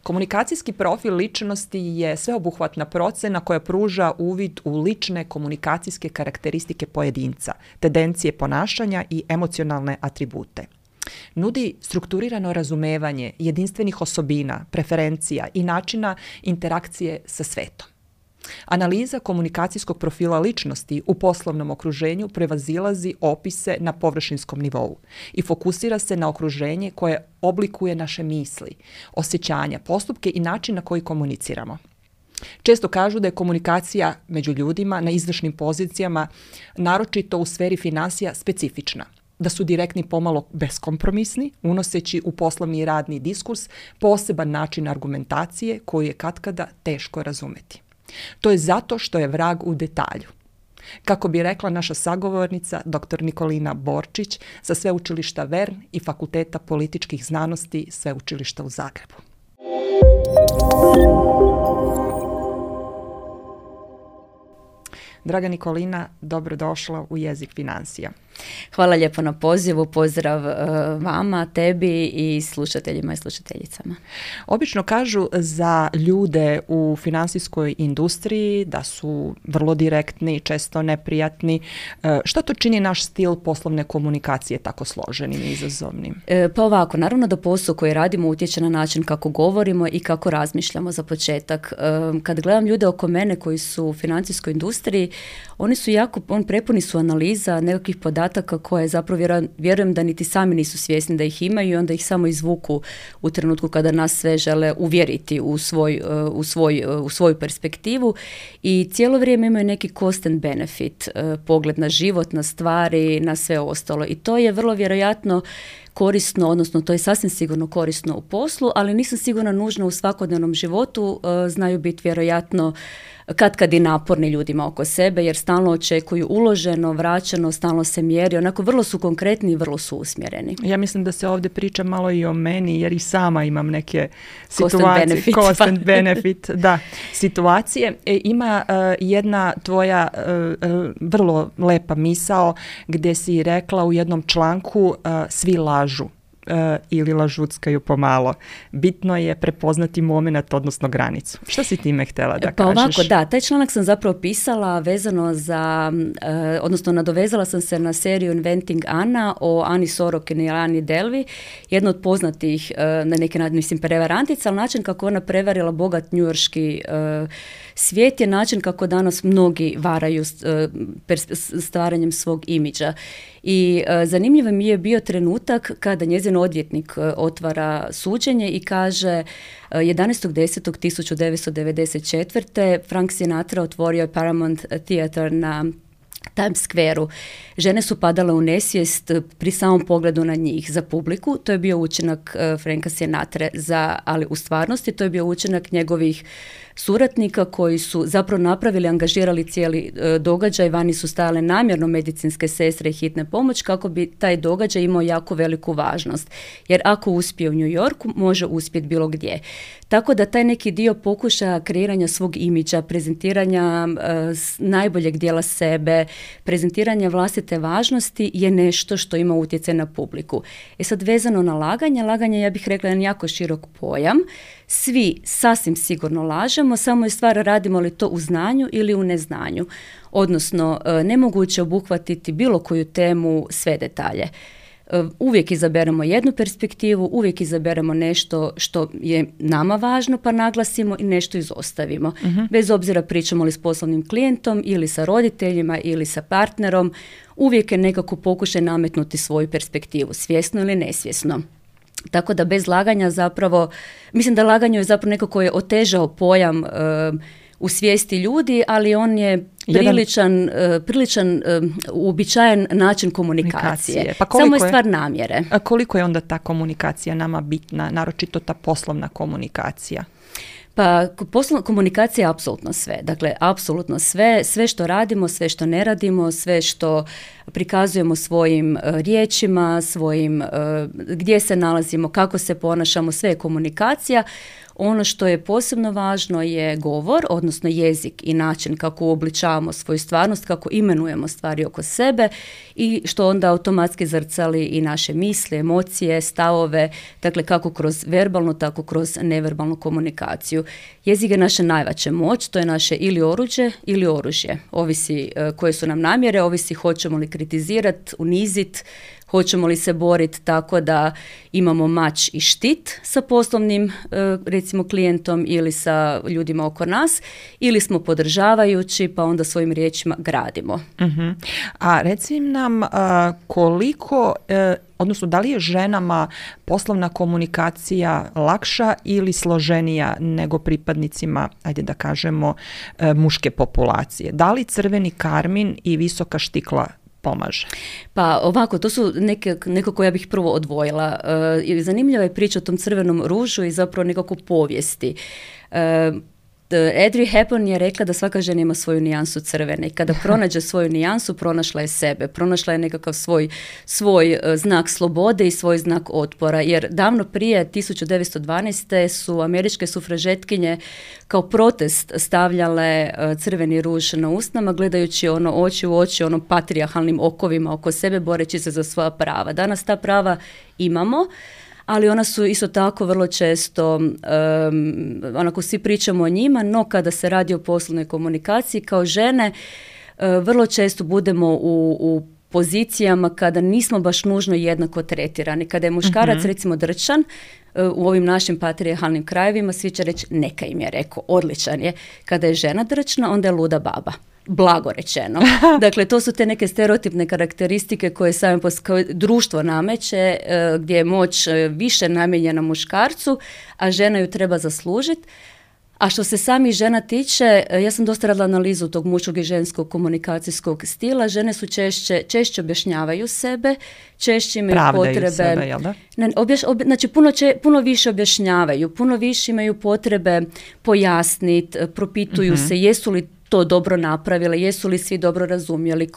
Komunikacijski profil ličnosti je sveobuhvatna procena koja pruža uvid u lične komunikacijske karakteristike pojedinca, tendencije ponašanja i emocionalne atribute. Nudi strukturirano razumevanje jedinstvenih osobina, preferencija i načina interakcije sa svetom. Analiza komunikacijskog profila ličnosti u poslovnom okruženju prevazilazi opise na površinskom nivou i fokusira se na okruženje koje oblikuje naše misli, osjećanja, postupke i način na koji komuniciramo. Često kažu da je komunikacija među ljudima na izvršnim pozicijama, naročito u sferi finansija, specifična, da su direktni pomalo beskompromisni, unoseći u poslovni i radni diskurs poseban način argumentacije koju je katkada teško razumeti. To je zato što je vrag u detalju. Kako bi rekla naša sagovornica, dr. Nikolina Borčić, sa Sveučilišta Vern i Fakulteta političkih znanosti Sveučilišta u Zagrebu. Draga Nikolina, dobrodošla u Jezik financija. Hvala lijepo na pozivu, pozdrav vama, tebi i slušateljima i slušateljicama. Obično kažu za ljude u financijskoj industriji da su vrlo direktni, često neprijatni. Šta to čini naš stil poslovne komunikacije tako složenim i izazovnim? Pa ovako, naravno da posao koji radimo utječe na način kako govorimo i kako razmišljamo za početak. Kad gledam ljude oko mene koji su u financijskoj industriji, oni su prepuni su analiza nekakvih podataka koje zapravo vjerujem da niti sami nisu svjesni da ih imaju i onda ih samo izvuku u trenutku kada nas sve žele uvjeriti u svoju perspektivu i cijelo vrijeme imaju neki cost and benefit, pogled na život, na stvari, na sve ostalo i to je vrlo vjerojatno korisno, odnosno to je sasvim sigurno korisno u poslu, ali nisam sigurna nužno u svakodnevnom životu, znaju biti vjerojatno kad i naporni ljudima oko sebe, jer stalno očekuju uloženo, vraćeno, stalno se mjeri, onako vrlo su konkretni i vrlo su usmjereni. Ja mislim da se ovdje priča malo i o meni, jer i sama imam neke situacije. Cost and benefit, da, situacije. Ima jedna tvoja vrlo lepa misao gdje si rekla u jednom članku svi lažu. Ili lažuckaju pomalo. Bitno je prepoznati moment, odnosno granicu. Što si time htjela da kažeš? Pa ovako, da, taj članak sam zapravo pisala vezano za, odnosno nadovezala sam se na seriju Inventing Anna o Ani Sorokin i Ani Delvey, jedna od poznatih, na neki način, mislim, prevarantica, ali način kako ona prevarila bogat njujorški svijet je način kako danas mnogi varaju stvaranjem svog imidža. I zanimljivo mi je bio trenutak kada njezin odvjetnik otvara suđenje i kaže 11.10.1994. Frank Sinatra otvorio je Paramount Theater na Times Square-u. Žene su padale u nesvijest pri samom pogledu na njih za publiku. To je bio učinak Franka Sinatre, ali u stvarnosti to je bio učinak njegovih suradnika koji su zapravo napravili, angažirali cijeli događaj, vani su stajale namjerno medicinske sestre i hitne pomoć kako bi taj događaj imao jako veliku važnost. Jer ako uspije u New Yorku, može uspjeti bilo gdje. Tako da taj neki dio pokušaja kreiranja svog imidža, prezentiranja najboljeg dijela sebe, prezentiranja vlastite važnosti je nešto što ima utjecaj na publiku. Sad vezano na laganje ja bih rekla jedan jako širok pojam. Svi sasvim sigurno lažemo, samo je stvar radimo li to u znanju ili u neznanju. Odnosno, nemoguće obuhvatiti bilo koju temu sve detalje. Uvijek izaberemo jednu perspektivu, uvijek izaberemo nešto što je nama važno pa naglasimo i nešto izostavimo. Bez obzira pričamo li s poslovnim klijentom ili sa roditeljima ili sa partnerom, uvijek je nekako pokušaj nametnuti svoju perspektivu, svjesno ili nesvjesno. Tako da bez laganja zapravo, mislim da laganje je zapravo neko koji je otežao pojam u svijesti ljudi, ali on je priličan uobičajen način komunikacije. Pa samo je stvar namjere. A koliko je onda ta komunikacija nama bitna, naročito ta poslovna komunikacija? Pa komunikacija je apsolutno sve. Dakle, apsolutno sve što radimo, sve što ne radimo, sve što prikazujemo svojim riječima, gdje se nalazimo, kako se ponašamo, sve je komunikacija. Ono što je posebno važno je govor, odnosno jezik i način kako uobličavamo svoju stvarnost, kako imenujemo stvari oko sebe i što onda automatski zrcali i naše misli, emocije, stavove, dakle kako kroz verbalnu, tako kroz neverbalnu komunikaciju. Jezik je naša najveća moć, to je naše ili oruđe ili oružje. Ovisi koje su nam namjere, ovisi hoćemo li kritizirati, uniziti, hoćemo li se boriti tako da imamo mač i štit sa poslovnim, recimo, klijentom ili sa ljudima oko nas, ili smo podržavajući pa onda svojim riječima gradimo. Uh-huh. A reci nam koliko, odnosno da li je ženama poslovna komunikacija lakša ili složenija nego pripadnicima, ajde da kažemo, muške populacije? Da li crveni karmin i visoka štikla pomaže? Pa ovako, to su neko koje ja bih prvo odvojila. Zanimljiva je priča o tom crvenom ružu i zapravo nekako povijesti. Audrey Hepburn je rekla da svaka žena ima svoju nijansu crvene i kada pronađe svoju nijansu, pronašla je sebe, pronašla je nekakav svoj znak slobode i svoj znak otpora, jer davno prije 1912. su američke sufražetkinje kao protest stavljale crveni ruž na usnama, gledajući oči u oči patrijarhalnim okovima oko sebe, boreći se za svoja prava. Danas ta prava imamo, ali ona su isto tako vrlo često, onako svi pričamo o njima, no kada se radi o poslovnoj komunikaciji kao žene, vrlo često budemo u pozicijama kada nismo baš nužno jednako tretirani. Kada je muškarac recimo drčan, u ovim našim patrijarhalnim krajevima svi će reći neka im je rekao, odličan je. Kada je žena drčna, onda je luda baba. Blago rečeno. Dakle, to su te neke stereotipne karakteristike koje društvo nameće, gdje je moć više namijenjena muškarcu, a žena ju treba zaslužiti. A što se samih žena tiče, ja sam dosta radila analizu tog muškog i ženskog komunikacijskog stila. Žene su češće objašnjavaju sebe, češće imaju pravdaju potrebe. Sebe, jel da? Znači, puno više objašnjavaju, puno više imaju potrebe pojasniti, propituju se jesu li to dobro napravile, jesu li svi dobro razumjeli,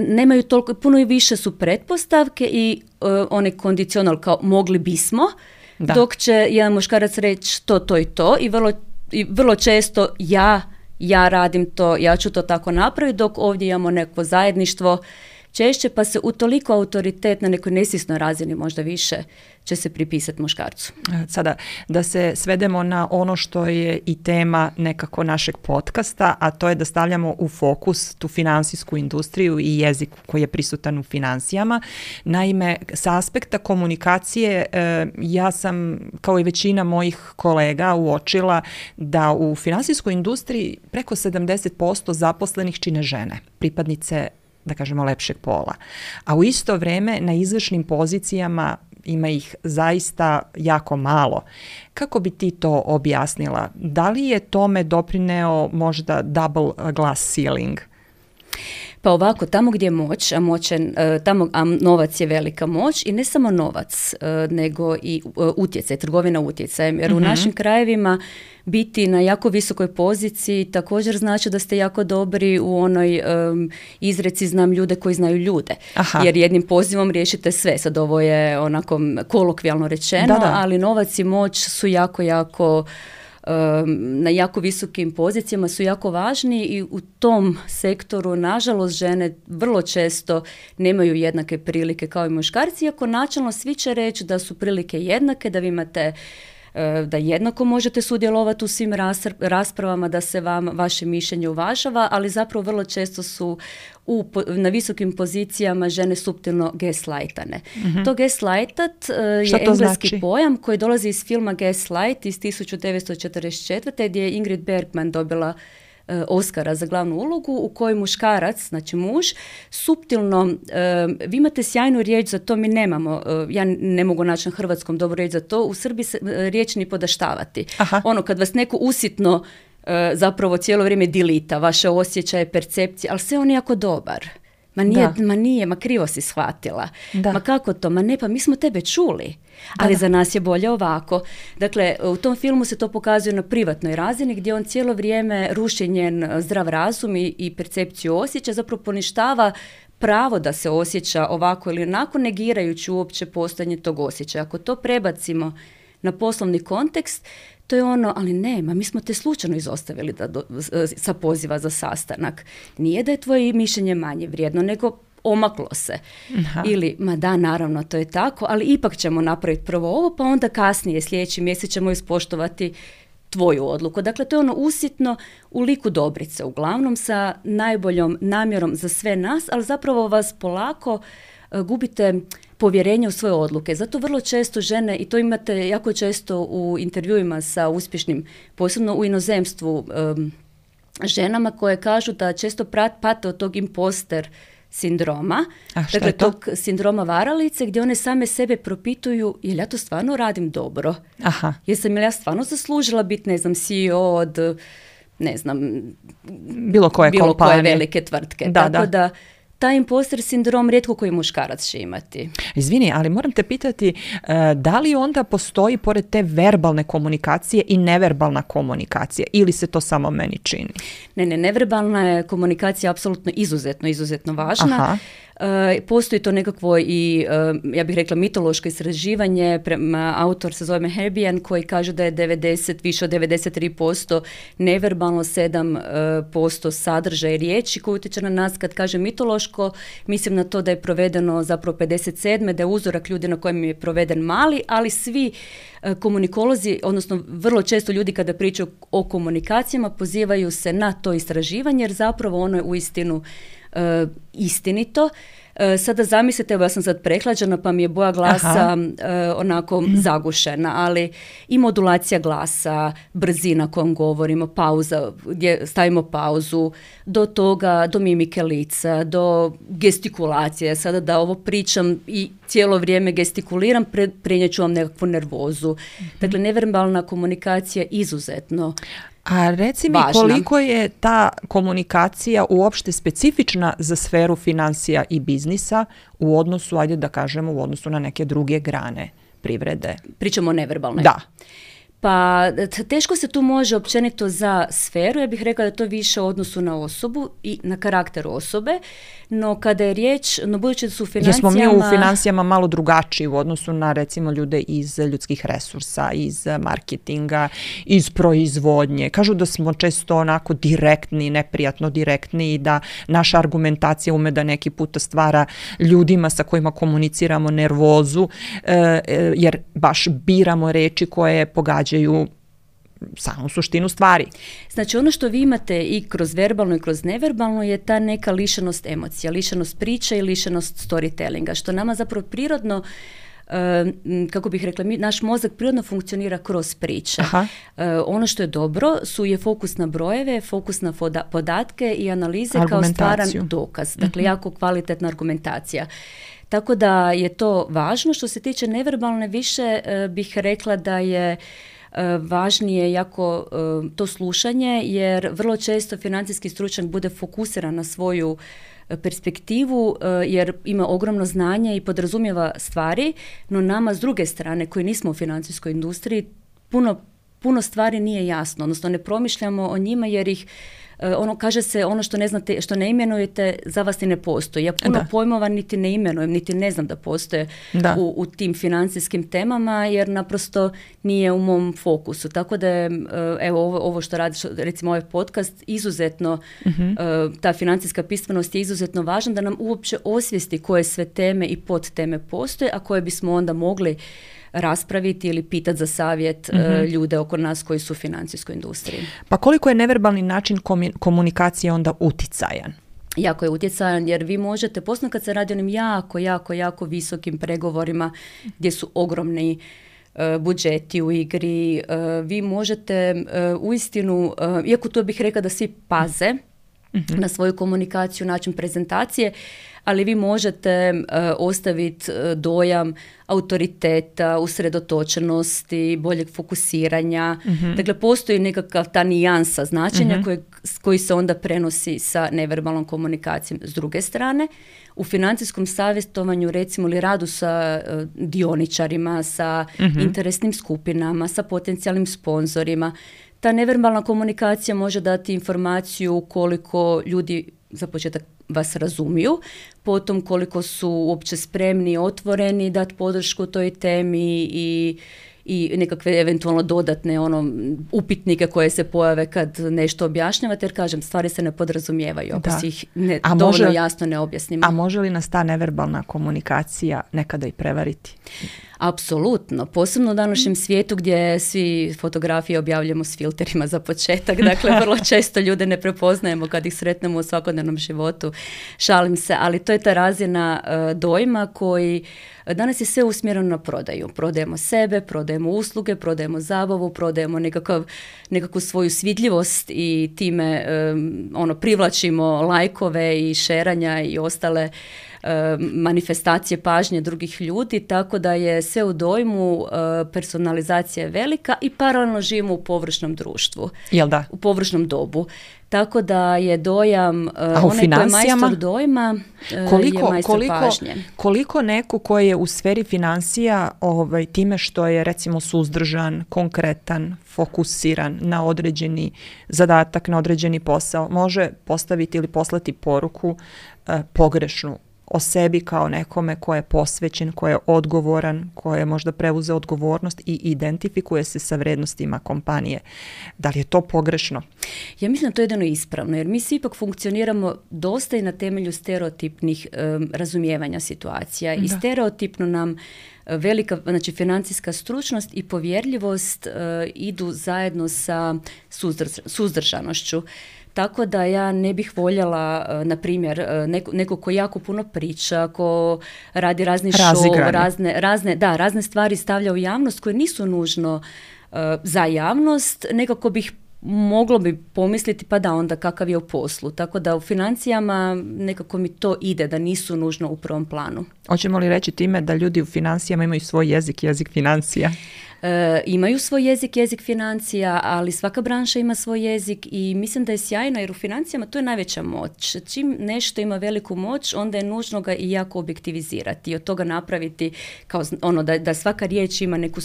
nemaju toliko, puno i više su pretpostavke i onaj kondicional kao mogli bismo, dok će jedan muškarac reći to i to i vrlo često ja radim to, ja ću to tako napraviti, dok ovdje imamo neko zajedništvo češće, pa se utoliko autoritet na nekoj nesvjesnoj razini možda više će se pripisati muškarcu. Sada, da se svedemo na ono što je i tema nekako našeg podcasta, a to je da stavljamo u fokus tu finansijsku industriju i jezik koji je prisutan u financijama. Naime, sa aspekta komunikacije ja sam, kao i većina mojih kolega, uočila da u finansijskoj industriji preko 70% zaposlenih čine žene, pripadnice, da kažemo, lepšeg pola. A u isto vrijeme na izvršnim pozicijama ima ih zaista jako malo. Kako bi ti to objasnila? Da li je tome doprineo možda double glass ceiling? Pa ovako, tamo gdje je moć, a novac je velika moć, i ne samo novac, nego i utjecaj, trgovina utjecajem. Jer u našim krajevima biti na jako visokoj poziciji također znači da ste jako dobri u onoj izreci znam ljude koji znaju ljude. Aha. Jer jednim pozivom riješite sve. Sad ovo je onako kolokvijalno rečeno, ali novac i moć su jako na jako visokim pozicijama, su jako važni i u tom sektoru, nažalost, žene vrlo često nemaju jednake prilike kao i muškarci, iako načelno svi će reći da su prilike jednake, da vi imate, da jednako možete sudjelovati u svim raspravama, da se vaše mišljenje uvažava, ali zapravo vrlo često su na visokim pozicijama žene suptilno gaslightane. To gaslightat je engleski pojam koji dolazi iz filma Gaslight iz 1944. gdje je Ingrid Bergman dobila Oscara za glavnu ulogu, u kojoj muškarac, znači muž, suptilno, vi imate sjajnu riječ za to, mi nemamo, ja ne mogu naći na hrvatskom dobru riječ za to, u Srbiji se riječ ni podaštavati. Aha. Kad vas neko usitno zapravo cijelo vrijeme dilita, vaše osjećaje, percepcije, ali sve on je jako dobar. Ma nije, ma krivo si shvatila. Da. Ma kako to? Ma ne, pa mi smo tebe čuli. Ali za nas je bolje ovako. Dakle, u tom filmu se to pokazuje na privatnoj razini gdje on cijelo vrijeme ruši njen zdrav razum i percepciju osjećaja, zapravo poništava pravo da se osjeća ovako ili onako, negirajući uopće postojanje tog osjećaja. Ako to prebacimo na poslovni kontekst, to je ono, ali ne, mi smo te slučajno izostavili sa poziva za sastanak. Nije da je tvoje mišljenje manje vrijedno, nego omaklo se. Aha. Ili, ma da, naravno, to je tako, ali ipak ćemo napraviti prvo ovo, pa onda kasnije, sljedeći mjesec ćemo ispoštovati tvoju odluku. Dakle, to je ono usitno u liku Dobrice, uglavnom sa najboljom namjerom za sve nas, ali zapravo vas polako gubite povjerenje u svoje odluke. Zato vrlo često žene, i to imate jako često u intervjuima sa uspješnim, posebno u inozemstvu, ženama koje kažu da često pate od tog imposter sindroma, dakle tog sindroma varalice, gdje one same sebe propituju, jel ja to stvarno radim dobro? Aha. Jesam li ja stvarno zaslužila biti, ne znam, CEO od, ne znam, bilo koje velike tvrtke. Tako da taj imposter sindrom rijetko koji muškarac će imati. Izvini, ali moram te pitati, da li onda postoji pored te verbalne komunikacije i neverbalna komunikacija ili se to samo meni čini? Ne, neverbalna je komunikacija apsolutno izuzetno važna. Aha. Postoji to nekakvo i, ja bih rekla, mitološko istraživanje, autor se zove Herbian, koji kaže da je više od 93% neverbalno, 7% sadržaj riječi koji utječe na nas. Kad kaže mitološko, mislim na to da je provedeno zapravo 57. da je uzorak ljudi na kojem je proveden mali, ali svi komunikolozi, odnosno vrlo često ljudi kada pričaju o komunikacijama pozivaju se na to istraživanje, jer zapravo ono je uistinu istinito. Sada zamislite, evo ja sam sad prehlađena pa mi je boja glasa onako zagušena, ali i modulacija glasa, brzina kojom govorimo, pauza, gdje stavimo pauzu, do toga, do mimike lica, do gestikulacije. Sada da ovo pričam i cijelo vrijeme gestikuliram, prenijet ću vam nekakvu nervozu. Dakle, neverbalna komunikacija je izuzetno A reci mi koliko je ta komunikacija uopšte specifična za sferu financija i biznisa u odnosu, ajde da kažemo, u odnosu na neke druge grane privrede? Pričamo o neverbalnoj. Da. Pa teško se tu može općenito za sferu, ja bih rekla da je to više u odnosu na osobu i na karakter osobe, no kada je riječ, no budući da su u financijama... Jesmo mi u financijama malo drugačiji u odnosu na recimo ljude iz ljudskih resursa, iz marketinga, iz proizvodnje. Kažu da smo često onako direktni, neprijatno direktni i da naša argumentacija ume da neki puta stvara ljudima sa kojima komuniciramo nervozu, jer baš biramo reči koje pogađaju samu suštinu stvari. Znači ono što vi imate i kroz verbalno i kroz neverbalno je ta neka lišenost emocija, lišenost priče i lišenost storytellinga, što nama zapravo prirodno, kako bih rekla, naš mozak prirodno funkcionira kroz priče. Ono što je dobro je fokus na brojeve, fokus na podatke i analize kao stvaran dokaz. Dakle, jako kvalitetna argumentacija. Tako da je to važno. Što se tiče neverbalne, više bih rekla da je važnije jako to slušanje, jer vrlo često financijski stručnjak bude fokusiran na svoju perspektivu, jer ima ogromno znanje i podrazumijeva stvari, no nama s druge strane koji nismo u financijskoj industriji puno stvari nije jasno, odnosno ne promišljamo o njima jer ih kaže se ono što ne znate, što ne imenujete, za vas i ne postoji. Ja puno pojmova niti ne imenujem, niti ne znam da postoje u tim financijskim temama, jer naprosto nije u mom fokusu. Tako da je, evo, ovo što radiš, recimo ovaj podcast, izuzetno, ta financijska pismenost je izuzetno važna da nam uopće osvijesti koje sve teme i podteme postoje, a koje bismo onda mogli raspraviti ili pitati za savjet ljude oko nas koji su u financijskoj industriji. Pa koliko je neverbalni način komunikacije onda uticajan? Jako je utjecajan, jer vi možete, posebno kad se radi o onim jako visokim pregovorima gdje su ogromni budžeti u igri, vi možete uistinu, iako to bih rekla da svi paze na svoju komunikaciju, način prezentacije, ali vi možete ostaviti dojam autoriteta, usredotočenosti, boljeg fokusiranja. Dakle, postoji nekakav ta nijansa značenja koji se onda prenosi sa neverbalnom komunikacijom. S druge strane, u financijskom savjetovanju, recimo, ili radu sa dioničarima, sa interesnim skupinama, sa potencijalnim sponzorima, ta neverbalna komunikacija može dati informaciju koliko ljudi za početak vas razumiju, potom koliko su uopće spremni i otvoreni dati podršku toj temi i nekakve eventualno dodatne upitnike koje se pojave kad nešto objašnjavate, jer kažem, stvari se ne podrazumijevaju ako si ih dovoljno jasno ne objasnimo. A može li nas ta neverbalna komunikacija nekada i prevariti? Apsolutno, posebno u današnjem svijetu gdje svi fotografije objavljamo s filterima za početak, dakle vrlo često ljude ne prepoznajemo kad ih sretnemo u svakodnevnom životu, šalim se, ali to je ta razina dojma koji danas je sve usmjereno na prodaju. Prodajemo sebe, prodajemo usluge, prodajemo zabavu, prodajemo nekakvu svoju svidljivost i time privlačimo lajkove i šeranja i ostale manifestacije pažnje drugih ljudi, tako da je sve u dojmu, personalizacija je velika i paralelno živimo u površnom društvu. Jel da? U površnom dobu. Tako da je dojam, onaj ko je majstor dojma, je majstor pažnje. Koliko neko koji je u sferi financija time što je recimo suzdržan, konkretan, fokusiran na određeni zadatak, na određeni posao, može postaviti ili poslati poruku pogrešnu o sebi kao nekome ko je posvećen, ko je odgovoran, ko je možda preuzeo odgovornost i identifikuje se sa vrednostima kompanije. Da li je to pogrešno? Ja mislim da to je jedino ispravno, jer mi svi ipak funkcioniramo dosta i na temelju stereotipnih razumijevanja situacija. I stereotipno nam velika, znači financijska stručnost i povjerljivost idu zajedno sa suzdržanošću. Tako da ja ne bih voljela, na primjer, neko ko jako puno priča, ko radi razni show, razne stvari stavlja u javnost koje nisu nužno za javnost, nekako moglo bi pomisliti pa da onda kakav je u poslu. Tako da u financijama nekako mi to ide, da nisu nužno u prvom planu. Hoćemo li reći time da ljudi u financijama imaju svoj jezik financija? Imaju svoj jezik financija, ali svaka branša ima svoj jezik i mislim da je sjajno jer u financijama to je najveća moć. Čim nešto ima veliku moć, onda je nužno ga i jako objektivizirati i od toga napraviti kao da svaka riječ ima neku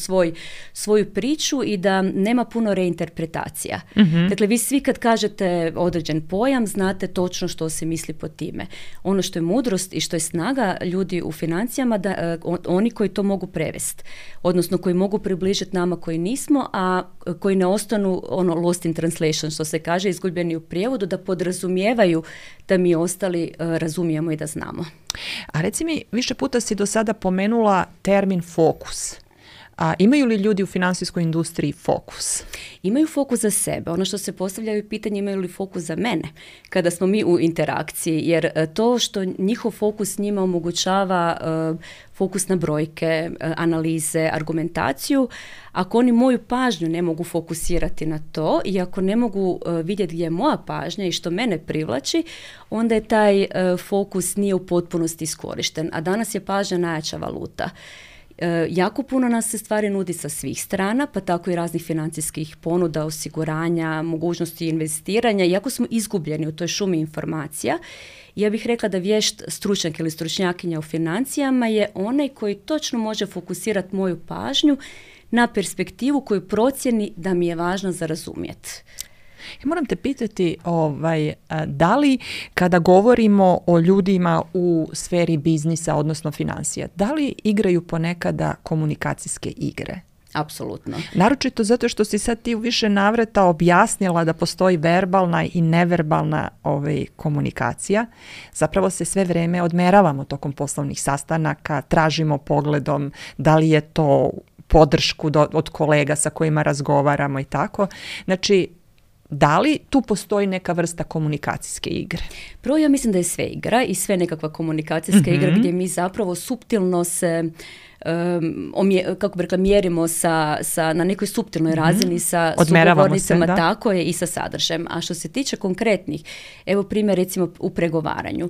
svoju priču i da nema puno reinterpretacija. Dakle, vi svi kad kažete određen pojam, znate točno što se misli pod time. Ono što je mudrost i što je snaga ljudi u financijama, da oni koji to mogu prevesti, odnosno koji mogu približiti nama koji nismo, a koji ne ostanu lost in translation, što se kaže, izgubljeni u prijevodu, da podrazumijevaju da mi ostali razumijemo i da znamo. A reci mi, više puta si do sada pomenula termin fokus. A imaju li ljudi u financijskoj industriji fokus? Imaju fokus za sebe. Ono što se postavljaju pitanje, imaju li fokus za mene kada smo mi u interakciji, jer to što njihov fokus njima omogućava fokus na brojke, analize, argumentaciju, ako oni moju pažnju ne mogu fokusirati na to i ako ne mogu vidjeti gdje je moja pažnja i što mene privlači, onda je taj fokus nije u potpunosti iskorišten. A danas je pažnja najjača valuta. Jako puno nas se stvari nudi sa svih strana, pa tako i raznih financijskih ponuda, osiguranja, mogućnosti investiranja. Iako smo izgubljeni u toj šumi informacija, ja bih rekla da vješt stručnjak ili stručnjakinja u financijama je onaj koji točno može fokusirati moju pažnju na perspektivu koju procjeni da mi je važno za razumjeti. Ja moram te pitati, da li kada govorimo o ljudima u sferi biznisa, odnosno financija, da li igraju ponekada komunikacijske igre? Apsolutno. Naročito zato što si sad ti u više navrata objasnila da postoji verbalna i neverbalna komunikacija. Zapravo se sve vrijeme odmeravamo tokom poslovnih sastanaka, tražimo pogledom da li je to podršku od kolega sa kojima razgovaramo i tako. Znači, da li tu postoji neka vrsta komunikacijske igre? Prvo, ja mislim da je sve igra i sve nekakva komunikacijska igra gdje mi zapravo suptilno se kako bi rekla, mjerimo na nekoj suptilnoj razini sa Odmeravamo sugovornicama, se, tako je, i sa sadržajem. A što se tiče konkretnih, evo primjer recimo u pregovaranju.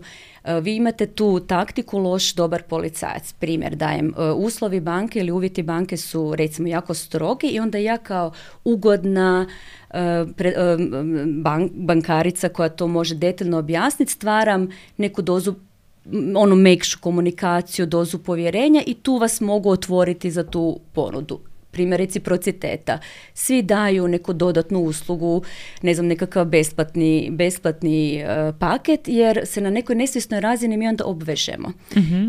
Vi imate tu taktiku loš, dobar policajac. Primjer dajem, uslovi banke ili uvjeti banke su recimo jako strogi i onda ja kao ugodna bankarica koja to može detaljno objasniti, stvaram neku dozu mekšu komunikaciju, dozu povjerenja i tu vas mogu otvoriti za tu ponudu. Primjer reciprociteta. Svi daju neku dodatnu uslugu, ne znam, nekakav besplatni paket, jer se na nekoj nesvjesnoj razini mi onda obvežemo.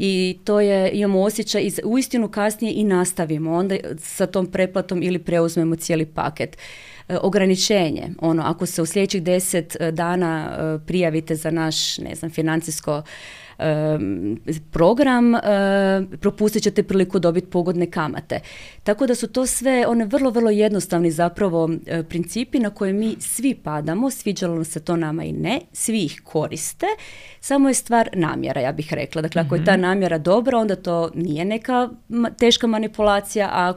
I to je, imamo osjećaj, uistinu kasnije i nastavimo onda sa tom pretplatom ili preuzmemo cijeli paket. Ograničenje, ako se u sljedećih 10 dana prijavite za naš, ne znam, financijsko program, propustit ćete priliku dobiti pogodne kamate. Tako da su to sve one vrlo, vrlo jednostavni zapravo principi na koje mi svi padamo, sviđalo se to nama i ne, svi ih koriste, samo je stvar namjera, ja bih rekla. Dakle, ako je ta namjera dobra, onda to nije neka teška manipulacija,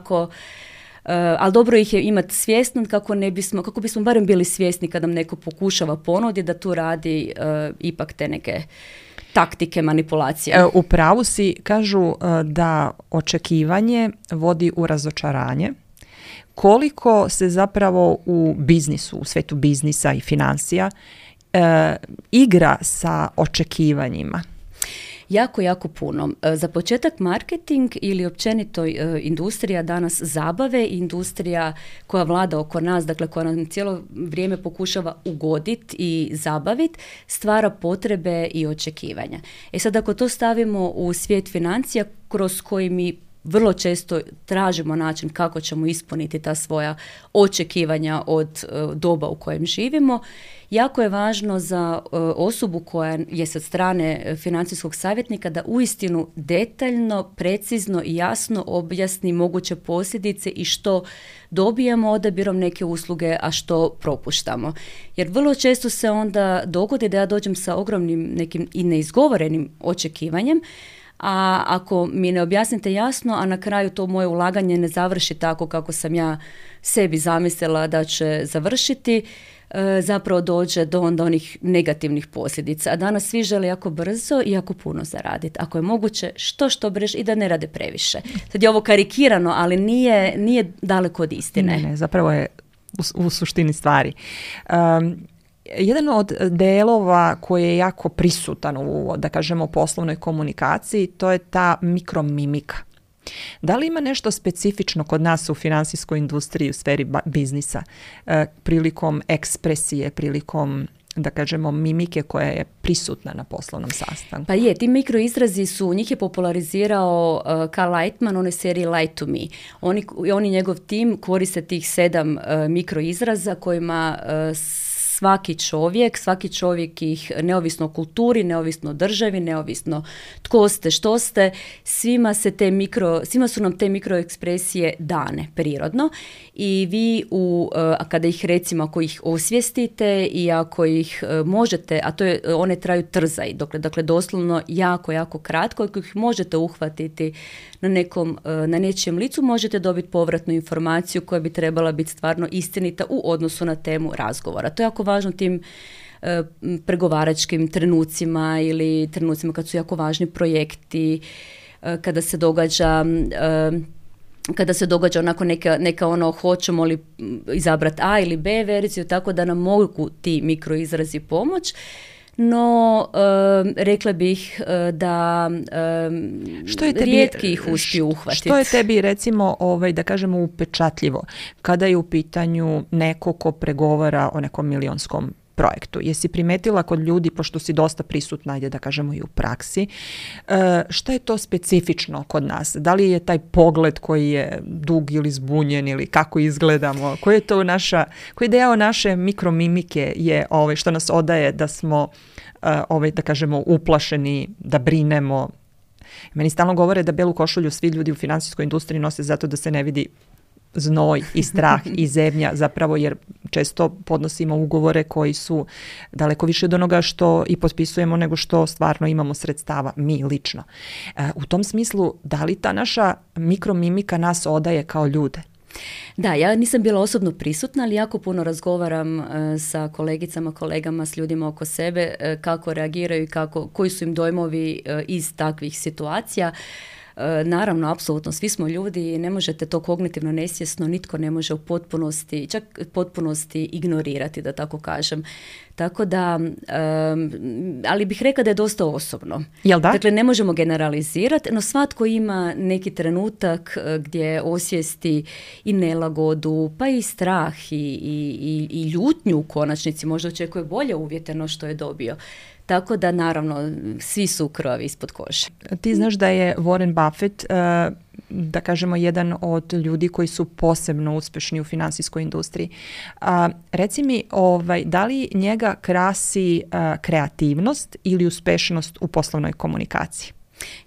ali dobro ih je imati svjesno kako bismo barem bili svjesni kad nam neko pokušava ponuditi da tu radi ipak te neke taktike manipulacije. U pravu si, kažu da očekivanje vodi u razočaranje. Koliko se zapravo u biznisu, u svetu biznisa i financija igra sa očekivanjima? Jako, jako puno. Za početak marketing ili općenito industrija danas zabave, industrija koja vlada oko nas, dakle koja nam cijelo vrijeme pokušava ugoditi i zabaviti, stvara potrebe i očekivanja. Sad ako to stavimo u svijet financija kroz koji mi vrlo često tražimo način kako ćemo ispuniti ta svoja očekivanja od doba u kojem živimo, jako je važno za osobu koja je sa strane financijskog savjetnika da uistinu detaljno, precizno i jasno objasni moguće posljedice i što dobijamo odabirom neke usluge, a što propuštamo. Jer vrlo često se onda dogodi da ja dođem sa ogromnim nekim i neizgovorenim očekivanjem, a ako mi ne objasnite jasno, a na kraju to moje ulaganje ne završi tako kako sam ja sebi zamislila da će završiti, zapravo dođe do onda onih negativnih posljedica. A danas svi žele jako brzo i jako puno zaraditi. Ako je moguće, što brže i da ne rade previše. Sad je ovo karikirano, ali nije daleko od istine. Ne, zapravo je u suštini stvari. Jedan od delova koji je jako prisutan u, da kažemo, poslovnoj komunikaciji, to je ta mikromimika. Da li ima nešto specifično kod nas u finansijskoj industriji, u sferi biznisa, prilikom ekspresije, prilikom, da kažemo, mimike koja je prisutna na poslovnom sastanku? Pa je, ti mikroizrazi njih je popularizirao Carl Lightman, one serije Lie to Me. Oni njegov tim koriste tih 7 mikroizraza kojima svaki čovjek ih, neovisno o kulturi, neovisno o državi, neovisno tko ste, što ste, svima su nam te mikroekspresije dane prirodno i vi kada ih recimo, ako ih osvijestite i ako ih možete, a one traju trzaj, dakle doslovno jako, jako kratko, ako ih možete uhvatiti na nečijem licu, možete dobiti povratnu informaciju koja bi trebala biti stvarno istinita u odnosu na temu razgovora. To je jako važno tim pregovaračkim trenucima ili trenucima kad su jako važni projekti, kada se događa onako neka hoćemo li izabrati A ili B verziju, tako da nam mogu ti mikroizrazi pomoć. No, rekla bih da rijetki ih uspiju uhvatiti. Što je tebi, recimo, da kažemo, upečatljivo kada je u pitanju neko ko pregovara o nekom milionskom projektu? Jesi primetila kod ljudi, pošto si dosta prisutna, ajde da kažemo i u praksi, šta je to specifično kod nas? Da li je taj pogled koji je dug ili zbunjen ili kako izgledamo? Koji deo naše mikromimike je što nas odaje da smo da kažemo uplašeni, da brinemo? Meni stalno govore da belu košulju svi ljudi u finansijskoj industriji nose zato da se ne vidi znoj i strah i zebnja, zapravo jer često podnosimo ugovore koji su daleko više od onoga što i potpisujemo nego što stvarno imamo sredstava, mi lično. U tom smislu, da li ta naša mikromimika nas odaje kao ljude? Da, ja nisam bila osobno prisutna, ali jako puno razgovaram sa kolegicama, kolegama, s ljudima oko sebe, kako reagiraju i koji su im dojmovi iz takvih situacija. Naravno, apsolutno, svi smo ljudi i ne možete to kognitivno nesvjesno, nitko ne može u potpunosti, čak potpunosti ignorirati, da tako kažem. Tako da, ali bih rekla da je dosta osobno. Jel da? Dakle, ne možemo generalizirati, no svatko ima neki trenutak gdje osvijesti i nelagodu, pa i strah i ljutnju u konačnici, možda očekuje bolje uvjete no što je dobio. Tako da, naravno, svi su krvavi ispod kože. Ti znaš da je Warren Buffett, da kažemo, jedan od ljudi koji su posebno uspješni u financijskoj industriji. Reci mi, da li njega krasi kreativnost ili uspješnost u poslovnoj komunikaciji?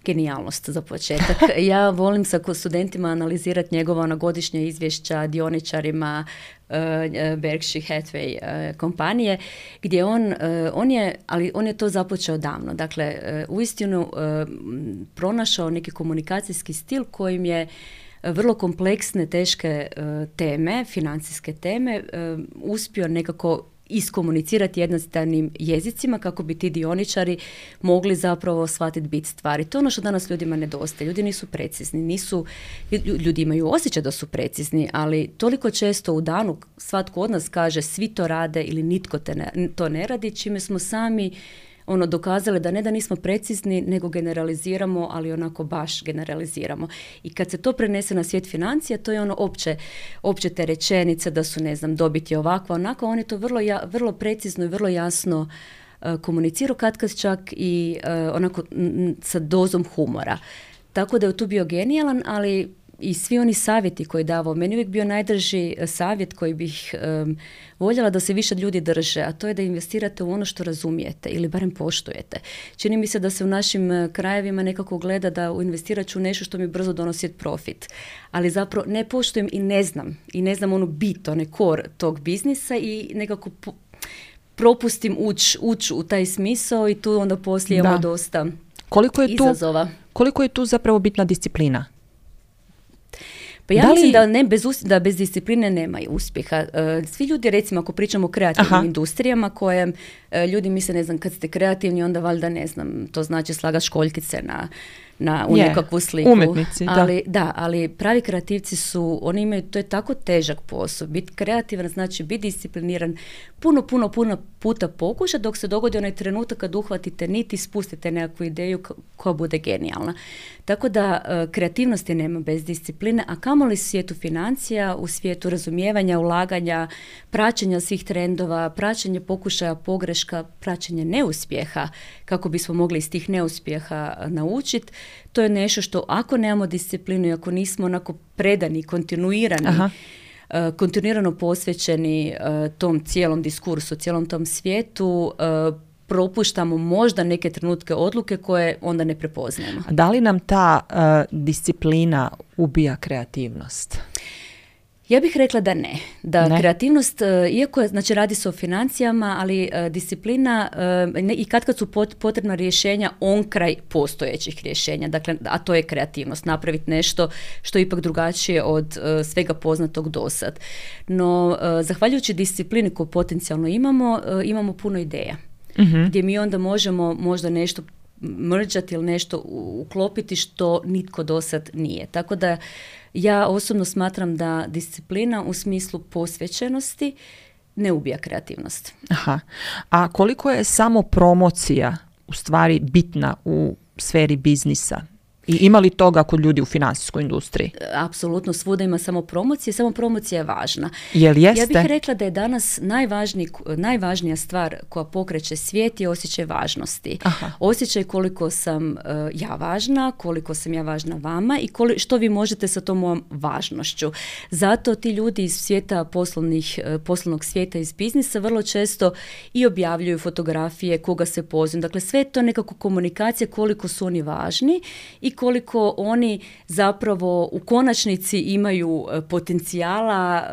Genijalnost za početak. Ja volim sa studentima analizirati njegova godišnja izvješća dioničarima Berkshire Hathaway kompanije, gdje on je to započeo davno. Dakle, uistinu pronašao neki komunikacijski stil kojim je vrlo kompleksne, teške teme, financijske teme, uspio nekako iskomunicirati jednostavnim jezicima kako bi ti dioničari mogli zapravo shvatiti bit stvari. To je ono što danas ljudima nedostaje. Ljudi nisu precizni, ljudi imaju osjećaj da su precizni, ali toliko često u danu svatko od nas kaže svi to rade ili nitko to ne radi, čime smo sami dokazali da ne da nismo precizni, nego generaliziramo, ali onako baš generaliziramo. I kad se to prenese na svijet financija, to je opće te rečenice da su, dobiti ovako, onako, on je to vrlo precizno i vrlo jasno komunicirao, katkad čak i onako sa dozom humora. Tako da je tu bio genijalan, ali i svi oni savjeti koje je davao, meni uvijek bio najdrži savjet koji bih voljela da se više ljudi drže, a to je da investirate u ono što razumijete ili barem poštujete. Čini mi se da se u našim krajevima nekako gleda da investirat ću nešto što mi brzo donosi profit, ali zapravo ne poštujem i ne znam onu bit, onaj core tog biznisa i nekako propustim ući u taj smisao i tu onda poslije imamo dosta izazova. Koliko je tu zapravo bitna disciplina? Pa ja mislim da bez discipline nema uspjeha. Svi ljudi, recimo, ako pričamo o kreativnim industrijama koje ljudi misle, kad ste kreativni, onda valjda, to znači slagati školjkice u nekakvu sliku. Umjetnici, ali pravi kreativci oni imaju, to je tako težak posao. Biti kreativan znači biti discipliniran, puno puta pokuša dok se dogodi onaj trenutak kad uhvatite niti spustite nekakvu ideju koja bude genijalna. Tako da kreativnosti nema bez discipline, a kamoli u svijetu financija, u svijetu razumijevanja, ulaganja, praćenja svih trendova, praćenje pokušaja pogreška, praćenje neuspjeha, kako bismo mogli iz tih neuspjeha naučiti. To je nešto što ako nemamo disciplinu i ako nismo onako predani, kontinuirano posvećeni tom cijelom diskursu, cijelom tom svijetu, propuštamo možda neke trenutke odluke koje onda ne prepoznajemo. Da li nam ta disciplina ubija kreativnost? Ja bih rekla da ne. Kreativnost, iako je, radi se o financijama, ali disciplina i kad su potrebna rješenja onkraj postojećih rješenja, dakle, a to je kreativnost, napraviti nešto što je ipak drugačije od svega poznatog dosad. No, zahvaljujući disciplini koju potencijalno imamo puno ideja. Mm-hmm. Gdje mi onda možemo možda nešto mrđati ili nešto uklopiti što nitko dosad nije. Tako da ja osobno smatram da disciplina u smislu posvećenosti ne ubija kreativnost. Aha. A koliko je samo promocija u stvari bitna u sferi biznisa? I ima li toga kod ljudi u financijskoj industriji? Apsolutno, svuda ima samo promocija je važna. Jel jeste? Ja bih rekla da je danas najvažnija stvar koja pokreće svijet je osjećaj važnosti. Aha. Osjećaj koliko sam ja važna, koliko sam ja važna vama i što vi možete sa tom mojom važnošću. Zato ti ljudi iz svijeta poslovnog svijeta, iz biznisa, vrlo često i objavljuju fotografije, koga se pozivaju. Dakle, sve je to nekako komunikacija koliko su oni važni i koliko oni zapravo u konačnici imaju potencijala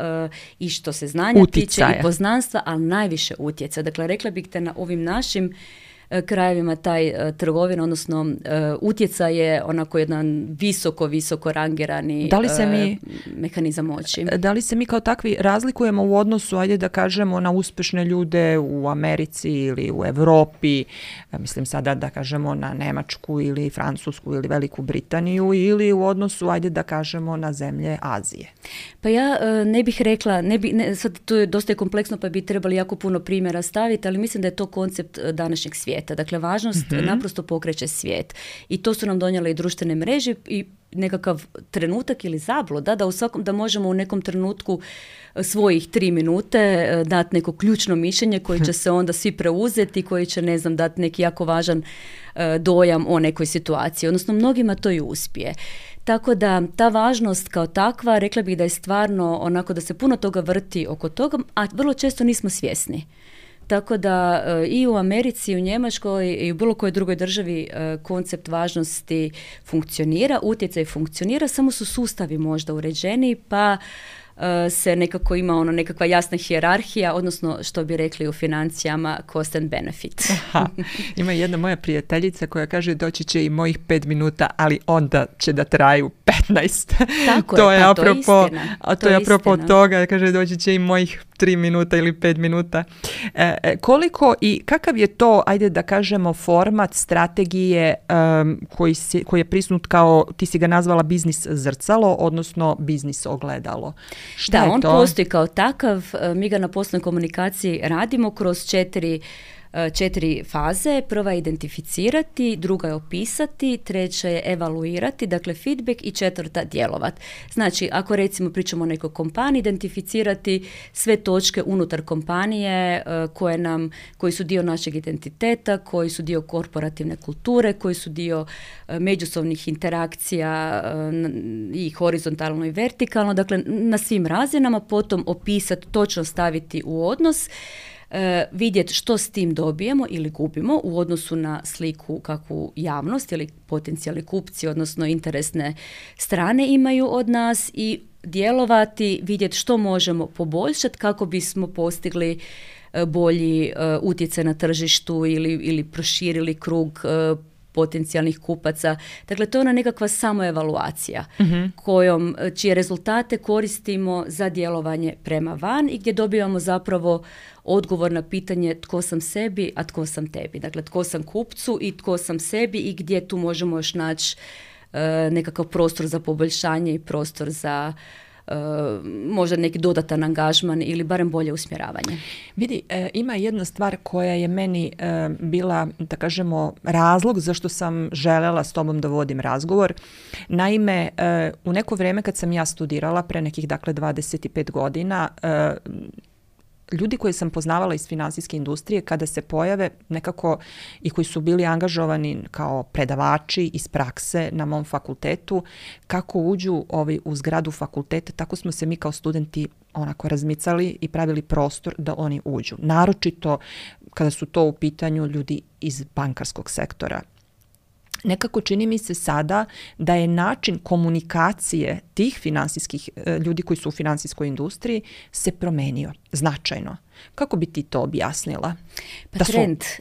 i što se znanja tiče i poznanstva, ali najviše utjecaja. Dakle, rekla bih te na ovim našim krajevima taj trgovina, odnosno utjecaj je onako jedan visoko rangirani mehanizam moći. Da li se mi kao takvi razlikujemo u odnosu, ajde da kažemo, na uspješne ljude u Americi ili u Europi, mislim sada da kažemo na Nemačku ili Francusku ili Veliku Britaniju, ili u odnosu, ajde da kažemo, na zemlje Azije? Pa ja ne bih rekla, sad to je dosta kompleksno pa bi trebali jako puno primjera staviti, ali mislim da je to koncept današnjeg svijeta. Dakle, važnost naprosto pokreće svijet. I to su nam donijele i društvene mreže i nekakav trenutak ili zabluda da možemo u nekom trenutku svojih 3 minute dati neko ključno mišljenje koje će se onda svi preuzeti, koji će, ne znam, dati neki jako važan dojam o nekoj situaciji. Odnosno, mnogima to i uspije. Tako da ta važnost kao takva, rekla bih da je stvarno onako da se puno toga vrti oko toga, a vrlo često nismo svjesni. Tako da i u Americi, i u Njemačkoj i u bilo kojoj drugoj državi koncept važnosti funkcionira, utjecaj funkcionira, samo su sustavi možda uređeni, pa se nekako ima nekakva jasna hijerarhija, odnosno što bi rekli u financijama cost and benefit. Aha. Ima jedna moja prijateljica koja kaže doći će i mojih 5 minuta, ali onda će da traju 15. Tako to je, apropo, to je istina. A to je apropo toga, kaže doći će i mojih 3 minuta ili 5 minuta. Koliko i kakav je to, ajde da kažemo, format strategije koji je prisutnut kao, ti si ga nazvala biznis zrcalo, odnosno biznis ogledalo? Šta je on to? Postoji kao takav, mi ga na poslovnoj komunikaciji radimo kroz 4 faze. Prva je identificirati, druga je opisati, treća je evaluirati, dakle feedback, i četvrta djelovati. Znači, ako recimo pričamo o nekoj kompaniji, identificirati sve točke unutar kompanije koji su dio našeg identiteta, koji su dio korporativne kulture, koji su dio međusobnih interakcija i horizontalno i vertikalno, dakle na svim razinama, potom opisati, točno staviti u odnos, vidjeti što s tim dobijemo ili gubimo u odnosu na sliku kakvu javnost ili potencijalni kupci, odnosno interesne strane imaju od nas, i djelovati, vidjeti što možemo poboljšati kako bismo postigli bolji utjecaj na tržištu ili proširili krug potencijalnih kupaca. Dakle, to je ona nekakva samoevaluacija čije rezultate koristimo za djelovanje prema van i gdje dobivamo zapravo odgovor na pitanje tko sam sebi, a tko sam tebi. Dakle, tko sam kupcu i tko sam sebi i gdje tu možemo još naći nekakav prostor za poboljšanje i prostor za možda neki dodatan angažman ili barem bolje usmjeravanje. Vidi, ima jedna stvar koja je meni bila, da kažemo, razlog zašto sam željela s tobom da vodim razgovor. Naime, u neko vrijeme kad sam ja studirala, pre nekih, dakle, 25 godina, ljudi koje sam poznavala iz finansijske industrije, kada se pojave nekako i koji su bili angažovani kao predavači iz prakse na mom fakultetu, kako uđu u zgradu fakulteta, tako smo se mi kao studenti onako razmicali i pravili prostor da oni uđu. Naročito kada su to u pitanju ljudi iz bankarskog sektora. Nekako čini mi se sada da je način komunikacije tih finansijskih ljudi koji su u finansijskoj industriji se promenio značajno. Kako bi ti to objasnila? Pa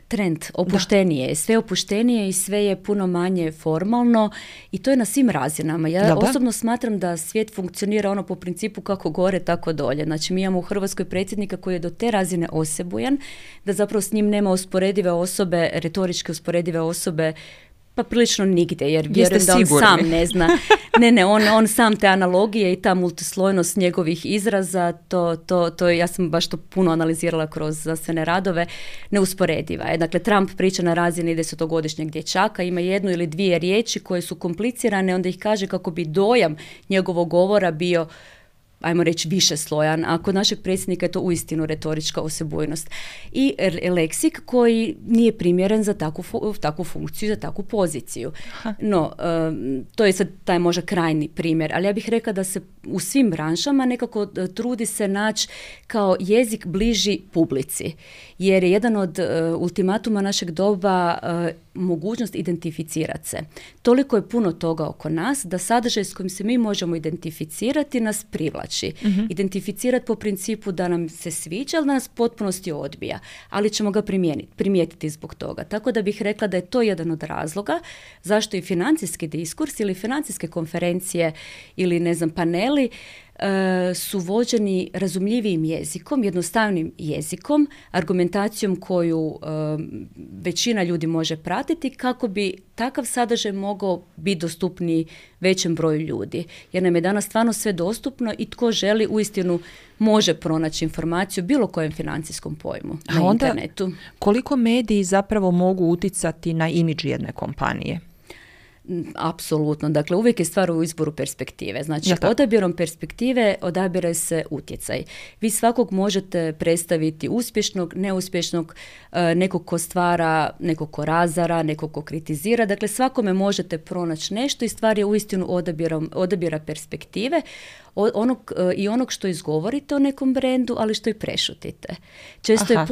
trend opuštenije je, sve opuštenije i sve je puno manje formalno i to je na svim razinama. Ja osobno smatram da svijet funkcionira po principu kako gore, tako dolje. Znači, mi imamo u Hrvatskoj predsjednika koji je do te razine osebujan da zapravo s njim nema usporedive osobe, retoričke usporedive osobe, pa prilično nigdje, jer vjerujem da on sam ne zna. On sam te analogije i ta multislojnost njegovih izraza, to ja sam baš to puno analizirala kroz znanstvene radove, neusporediva je. Dakle, Trump priča na razini 10-godišnjeg dječaka, ima 1 ili 2 riječi koje su komplicirane, onda ih kaže kako bi dojam njegovog govora bio ajmo reći, više slojan, a kod našeg predsjednika je to uistinu retorička osebujnost. I leksik koji nije primjeren za takvu funkciju, za takvu poziciju. No, to je sad taj možda krajni primjer, ali ja bih rekla da se u svim branšama nekako trudi se naći kao jezik bliži publici, jer je jedan od ultimatuma našeg doba mogućnost identificirati se. Toliko je puno toga oko nas da sadržaj s kojim se mi možemo identificirati nas privlači. Identificirati po principu da nam se sviđa, ali da nas potpunosti odbija, ali ćemo ga primijetiti zbog toga. Tako da bih rekla da je to jedan od razloga zašto i financijski diskurs ili financijske konferencije ili ne znam paneli su vođeni razumljivijim jezikom, jednostavnim jezikom, argumentacijom koju većina ljudi može pratiti kako bi takav sadržaj mogao biti dostupniji većem broju ljudi. Jer nam je danas stvarno sve dostupno i tko želi uistinu može pronaći informaciju o bilo kojem financijskom pojmu na internetu. Koliko mediji zapravo mogu uticati na imidž jedne kompanije? Apsolutno. Dakle, uvijek je stvar u izboru perspektive. Znači, odabirom perspektive odabire se utjecaj. Vi svakog možete predstaviti uspješnog, neuspješnog, nekog ko stvara, nekog ko razara, nekog ko kritizira. Dakle, svakome možete pronaći nešto i stvar je uistinu odabira perspektive onog što izgovorite o nekom brendu, ali što i prešutite. Često je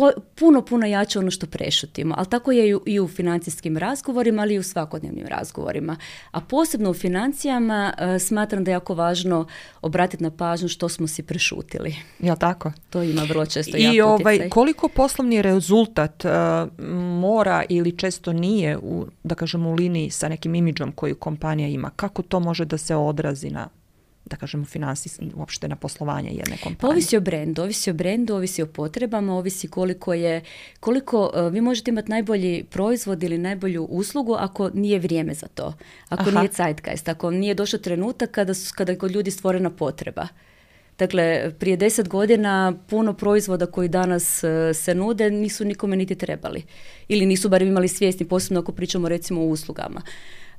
puno jače ono što prešutimo, ali tako je i u financijskim razgovorima, ali i u svakodnevnim razgovorima. A posebno u financijama smatram da je jako važno obratiti na pažnju što smo si prešutili. Jel' tako? To ima vrlo često jako utjecaj. Koliko poslovni rezultat mora ili često nije da kažem, u liniji sa nekim imidžom koju kompanija ima? Kako to može da se odrazi na, da kažemo, uopšte na poslovanje jedne kompanije? Ovisi o brendu, ovisi o potrebama, ovisi koliko vi možete imati najbolji proizvod ili najbolju uslugu ako nije vrijeme za to, ako nije zeitgeist, ako nije došao trenutak kada je kod ljudi stvorena potreba. Dakle, prije 10 godina puno proizvoda koji danas se nude nisu nikome niti trebali. Ili nisu barem imali svjesni, posebno ako pričamo recimo o uslugama.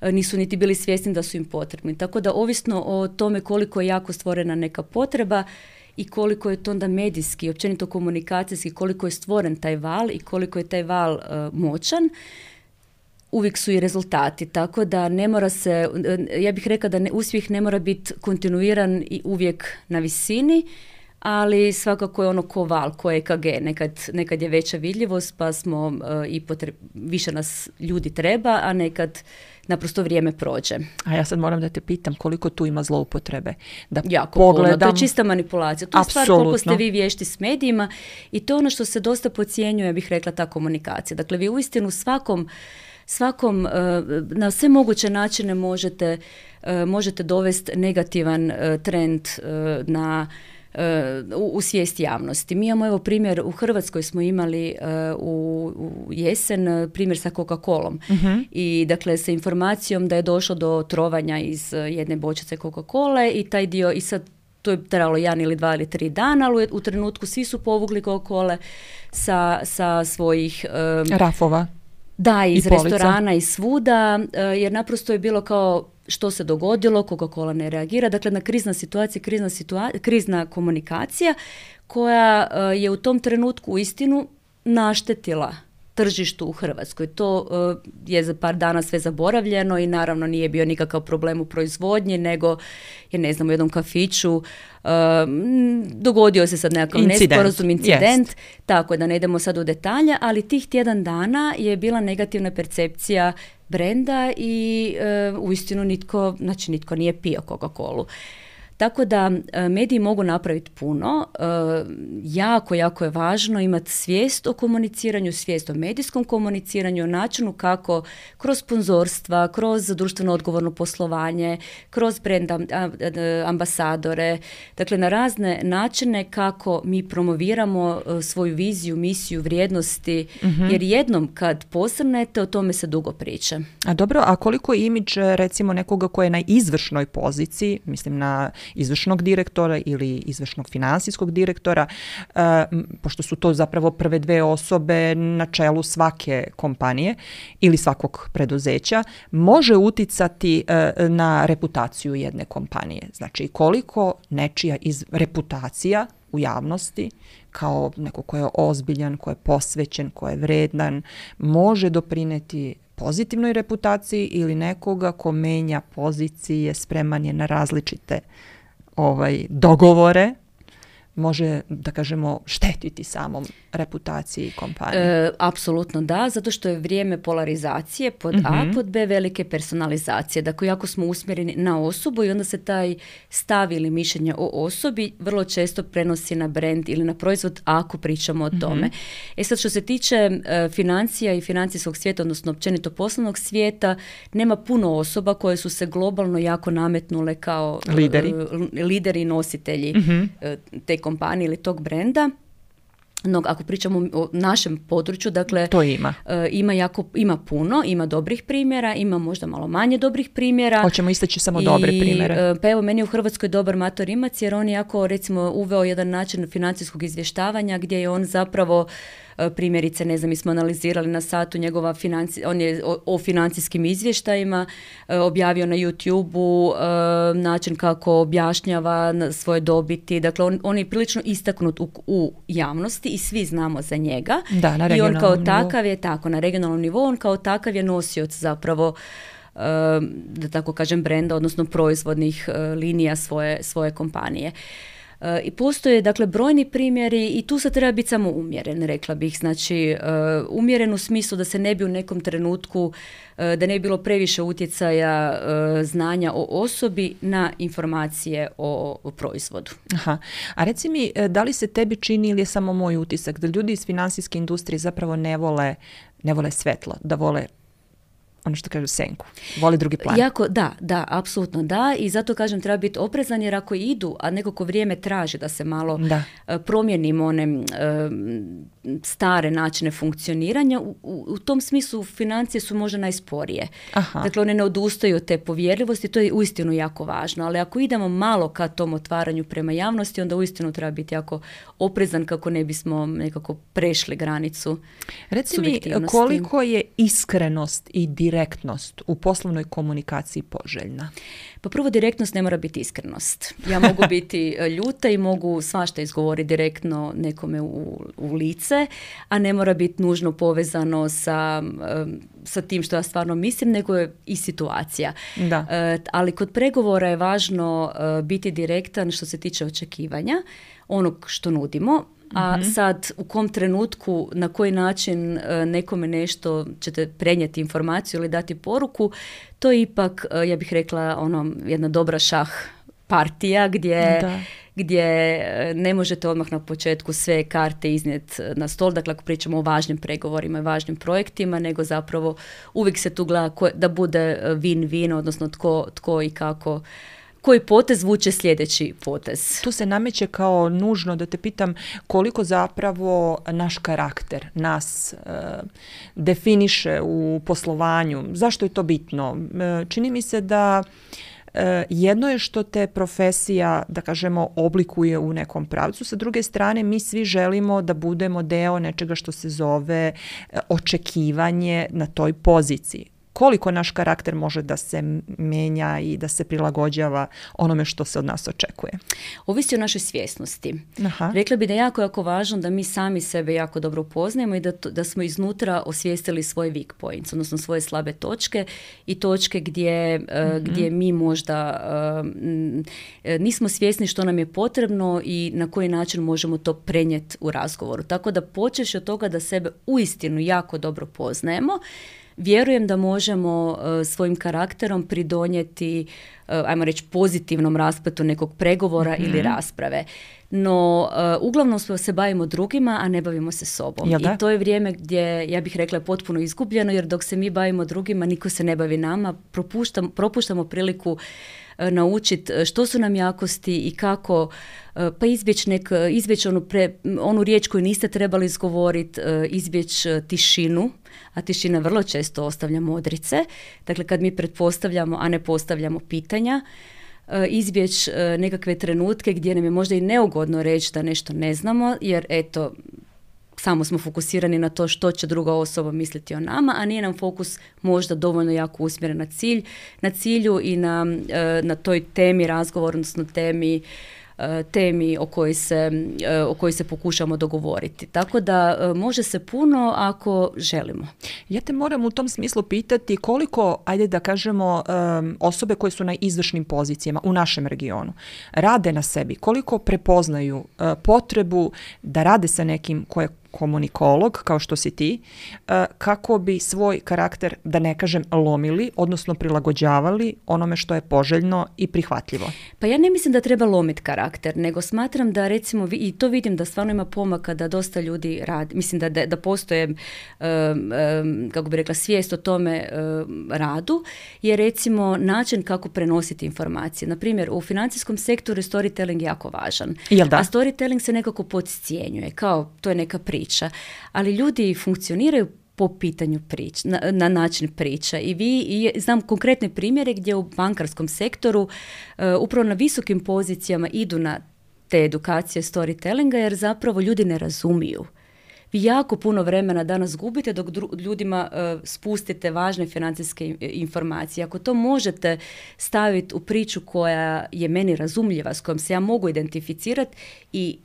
Nisu niti bili svjesni da su im potrebni. Tako da ovisno o tome koliko je jako stvorena neka potreba i koliko je to onda medijski, općenito komunikacijski, koliko je stvoren taj val i koliko je taj val moćan, uvijek su i rezultati. Tako da ne mora se, ja bih rekla da uspjeh ne mora biti kontinuiran i uvijek na visini, ali svakako je ono ko val, ko EKG. Nekad je veća vidljivost, pa smo više nas ljudi treba, a nekad naprosto vrijeme prođe. A ja sad moram da te pitam koliko tu ima zloupotrebe. Da jako pogledam. Puno, to je čista manipulacija. To je stvar koliko ste vi vješti s medijima i to je ono što se dosta podcjenjuje, ja bih rekla, ta komunikacija. Dakle, vi uistinu svakom na sve moguće načine možete dovesti negativan trend u svijest javnosti. Mi imamo, evo, primjer, u Hrvatskoj smo imali u jesen primjer sa Coca-Colom. I dakle sa informacijom da je došlo do trovanja iz jedne bočice Coca-Cole i taj dio, i sad to je trajalo 1 ili 2 ili 3 dana, ali u trenutku svi su povukli Coca-Cole sa svojih rafova. Da, iz restorana i svuda, jer naprosto je bilo kao što se dogodilo, Coca-Cola ne reagira. Dakle, na krizna komunikacija koja je u tom trenutku uistinu naštetila tržištu u Hrvatskoj. To je za par dana sve zaboravljeno i naravno nije bio nikakav problem u proizvodnji, nego je, ne znam, u jednom kafiću dogodio se sad nekakav nesporazum, incident, tako da ne idemo sad u detalje, ali tih tjedan dana je bila negativna percepcija brenda i uistinu nitko nije pio Coca-Colu. Tako da mediji mogu napraviti puno. Jako je važno imati svijest o komuniciranju, svijest o medijskom komuniciranju, o načinu kako kroz sponzorstva, kroz društveno odgovorno poslovanje, kroz brand ambasadore, dakle na razne načine kako mi promoviramo svoju viziju, misiju, vrijednosti, jer jednom kad posrnete, o tome se dugo priča. A dobro, a koliko je imidž recimo nekoga ko je na izvršnoj poziciji, mislim na izvršnog direktora ili izvršnog financijskog direktora, pošto su to zapravo prve dve osobe na čelu svake kompanije ili svakog preduzeća, može uticati na reputaciju jedne kompanije. Znači, koliko nečija reputacija u javnosti kao neko ko je ozbiljan, ko je posvećen, ko je vredan, može doprineti pozitivnoj reputaciji ili nekoga ko menja pozicije, spreman je na različite dogovore, može, da kažemo, štetiti samom reputaciji kompanije. Apsolutno da, zato što je vrijeme polarizacije pod A, pod B velike personalizacije. Dakle, ako smo usmjereni na osobu i onda se taj stav ili mišljenje o osobi vrlo često prenosi na brand ili na proizvod ako pričamo o tome. Sad, što se tiče financija i financijskog svijeta, odnosno općenito poslovnog svijeta, nema puno osoba koje su se globalno jako nametnule kao lideri i nositelji te kompanije ili tog brenda. No, ako pričamo o našem području, dakle, to ima puno, ima dobrih primjera, ima možda malo manje dobrih primjera. Hoćemo istaći samo dobre primjere. Pa evo, meni je u Hrvatskoj dobar Mato Rimac, jer on je jako, recimo, uveo jedan način financijskog izvještavanja gdje je on zapravo primjerice, ne znam, mi smo analizirali na satu njegova on je o financijskim izvještajima objavio na YouTube-u način kako objašnjava svoje dobiti. Dakle, on je prilično istaknut u javnosti i svi znamo za njega. Da, na regionalnom nivou. I on kao nivou. takav je, na regionalnom nivou, on kao takav je nosioc zapravo da tako kažem brenda, odnosno proizvodnih linija svoje kompanije. I postoje, dakle, brojni primjeri i tu se treba biti samo umjeren, rekla bih. Znači, umjeren u smislu da se ne bi u nekom trenutku, da ne bi bilo previše utjecaja znanja o osobi na informacije o proizvodu. Aha. A reci mi, da li se tebi čini ili je samo moj utisak da ljudi iz financijske industrije zapravo ne vole svetlo, da vole ono što kažu senku, voli drugi plan? Da, apsolutno da, i zato kažem treba biti oprezan, jer ako idu, a nekako vrijeme traži da se malo promijenimo one stare načine funkcioniranja, u tom smislu financije su možda najsporije. Aha. Dakle, one ne odustaju od te povjerljivosti, to je uistinu jako važno, ali ako idemo malo ka tom otvaranju prema javnosti, onda uistinu treba biti jako oprezan kako ne bismo nekako prešli granicu subjektivnosti. Reci mi, koliko je iskrenost i direktnost u poslovnoj komunikaciji poželjna? Pa prvo, direktnost ne mora biti iskrenost. Ja mogu biti ljuta i mogu svašta izgovoriti direktno nekome u lice, a ne mora biti nužno povezano sa tim što ja stvarno mislim, nego je i situacija. Da. Ali kod pregovora je važno biti direktan što se tiče očekivanja, onog što nudimo, a sad u kom trenutku, na koji način nekome nešto ćete prenijeti informaciju ili dati poruku, to je ipak, ja bih rekla, jedna dobra šah partija gdje ne možete odmah na početku sve karte iznijeti na stol, dakle ako pričamo o važnim pregovorima i važnim projektima, nego zapravo uvijek se tu gleda da bude win-win, odnosno tko i kako, koji potez vuče sljedeći potez. Tu se nameće kao nužno da te pitam koliko zapravo naš karakter nas definiše u poslovanju. Zašto je to bitno? Čini mi se da jedno je što te profesija, da kažemo, oblikuje u nekom pravcu. Sa druge strane, mi svi želimo da budemo deo nečega što se zove očekivanje na toj poziciji. Koliko naš karakter može da se menja i da se prilagođava onome što se od nas očekuje? Ovisi o našoj svjesnosti. Aha. Rekla bi da je jako, jako važno da mi sami sebe jako dobro upoznajemo i da smo iznutra osvijestili svoje weak points, odnosno svoje slabe točke i točke gdje mi možda nismo svjesni što nam je potrebno i na koji način možemo to prenijeti u razgovoru. Tako da počeš od toga da sebe uistinu jako dobro poznajemo, vjerujem da možemo svojim karakterom pridonijeti, ajmo reći, pozitivnom raspletu nekog pregovora ili rasprave. No, uglavnom se bavimo drugima, a ne bavimo se sobom. I to je vrijeme gdje, ja bih rekla, je potpuno izgubljeno, jer dok se mi bavimo drugima, niko se ne bavi nama, propuštamo priliku naučiti što su nam jakosti i kako pa izbjeći onu riječ koju niste trebali izgovoriti, izbjeći tišinu, a tišina vrlo često ostavlja modrice. Dakle, kad mi pretpostavljamo, a ne postavljamo pitanja, izbjeći nekakve trenutke gdje nam je možda i neugodno reći da nešto ne znamo, jer eto, samo smo fokusirani na to što će druga osoba misliti o nama, a nije nam fokus možda dovoljno jako usmjeren na cilju i na toj temi razgovora, odnosno temi o kojoj se pokušamo dogovoriti. Tako da može se puno ako želimo. Ja te moram u tom smislu pitati koliko, ajde da kažemo, osobe koje su na izvršnim pozicijama u našem regionu rade na sebi, koliko prepoznaju potrebu da rade sa nekim ko je komunikolog, kao što si ti, kako bi svoj karakter, da ne kažem, lomili, odnosno prilagođavali onome što je poželjno i prihvatljivo. Pa ja ne mislim da treba lomiti karakter, nego smatram da, recimo, i to vidim da stvarno ima pomaka da dosta ljudi radi. Mislim da postoje, kako bi rekla, svijest o tome radu, je recimo način kako prenositi informacije. Naprimjer, u financijskom sektoru storytelling je jako važan. Jel da? A storytelling se nekako podcjenjuje, kao to je neka priča. Ali ljudi funkcioniraju po pitanju na način priča. I znam konkretne primjere gdje u bankarskom sektoru upravo na visokim pozicijama idu na te edukacije storytellinga, jer zapravo ljudi ne razumiju. Vi jako puno vremena danas gubite dok ljudima spustite važne financijske informacije. Ako to možete staviti u priču koja je meni razumljiva, s kojom se ja mogu identificirati i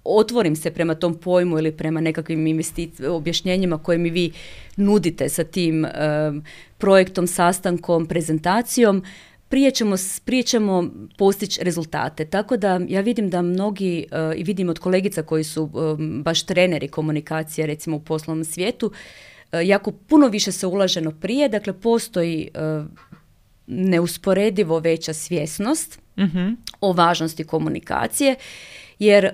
otvorim se prema tom pojmu ili prema nekakvim objašnjenjima koje mi vi nudite sa tim projektom, sastankom, prezentacijom, prije ćemo postići rezultate. Tako da ja vidim da mnogi, i vidim od kolegica koji su baš treneri komunikacije, recimo u poslovnom svijetu, jako puno više se ulaženo prije, dakle postoji neusporedivo veća svjesnost o važnosti komunikacije, jer